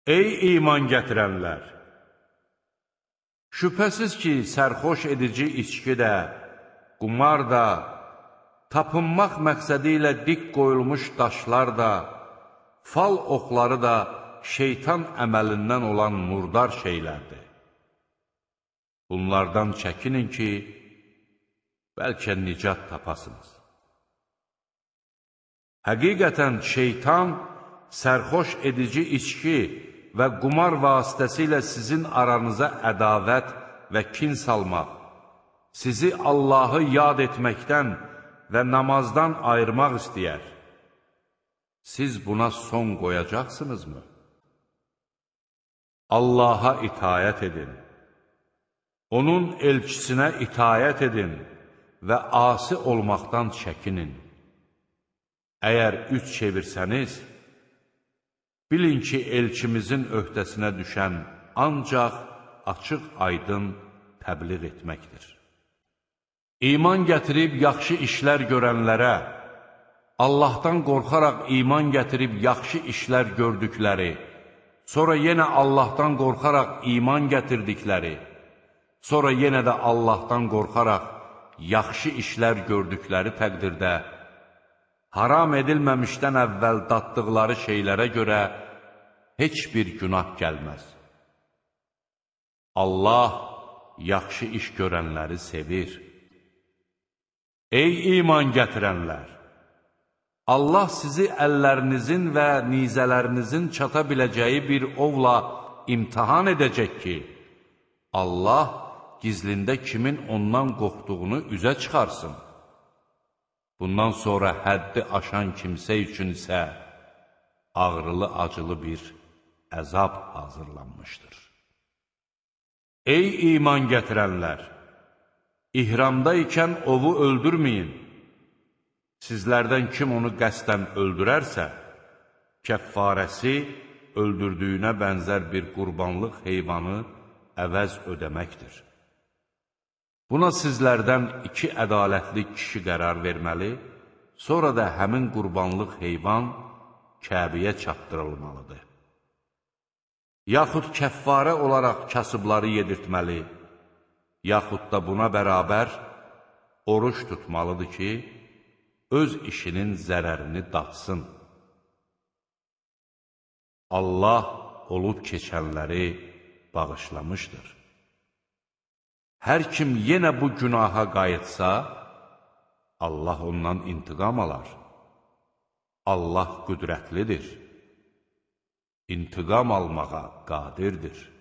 Ey iman gətirənlər! Şübhəsiz ki, sərxoş edici içki də, qumar da, tapınmaq məqsədi ilə dik qoyulmuş daşlar da, fal oxları da şeytan əməlindən olan murdar şeylərdir. Bunlardan çəkinin ki, bəlkə nicat tapasınız. Həqiqətən şeytan sərxoş edici içki və qumar vasitəsilə sizin aranıza ədavət və kin salmaq, sizi Allahı yad etməkdən və namazdan ayırmaq istəyər. Siz buna son qoyacaqsınızmı? Allaha itayət edin, onun elçisinə itayət edin və asi olmaqdan çəkinin. Əgər üç çevirsəniz, bilin ki, elçimizin öhdəsinə düşən ancaq açıq-aydın təbliğ etməkdir. İman gətirib yaxşı işlər görənlərə, Allahdan qorxaraq iman gətirib yaxşı işlər gördükləri, sonra yenə Allahdan qorxaraq iman gətirdikləri, sonra yenə də Allahdan qorxaraq yaxşı işlər gördükləri təqdirdə, haram edilməmişdən əvvəl daddıqları şeylərə görə heç bir günah gəlməz. Allah yaxşı iş görənləri sevir. Ey iman gətirənlər! Allah sizi əllərinizin və nizələrinizin çata biləcəyi bir ovla imtihan edəcək ki, Allah gizlində kimin ondan qorxduğunu üzə çıxarsın. Bundan sonra həddi aşan kimsə üçün isə ağrılı-acılı bir əzab hazırlanmışdır. Ey iman gətirənlər! İhramda ikən ovu öldürməyin. Sizlərdən kim onu qəsdən öldürərsə, kəffarəsi öldürdüyünə bənzər bir qurbanlıq heyvanı əvəz ödəməkdir. Buna sizlərdən 2 ədalətli kişi qərar verməli, sonra da həmin qurbanlıq heyvan Kəbəyə çatdırılmalıdır. Yaxud kəffarə olaraq kasıbları yedirtməli, yaxud da buna bərabər oruç tutmalıdır ki, öz işinin zərərini datsın. Allah olub keçənləri bağışlamışdır. Hər kim yenə bu günaha qayıtsa, Allah ondan intiqam alar. Allah qüdrətlidir, intiqam almağa qadirdir.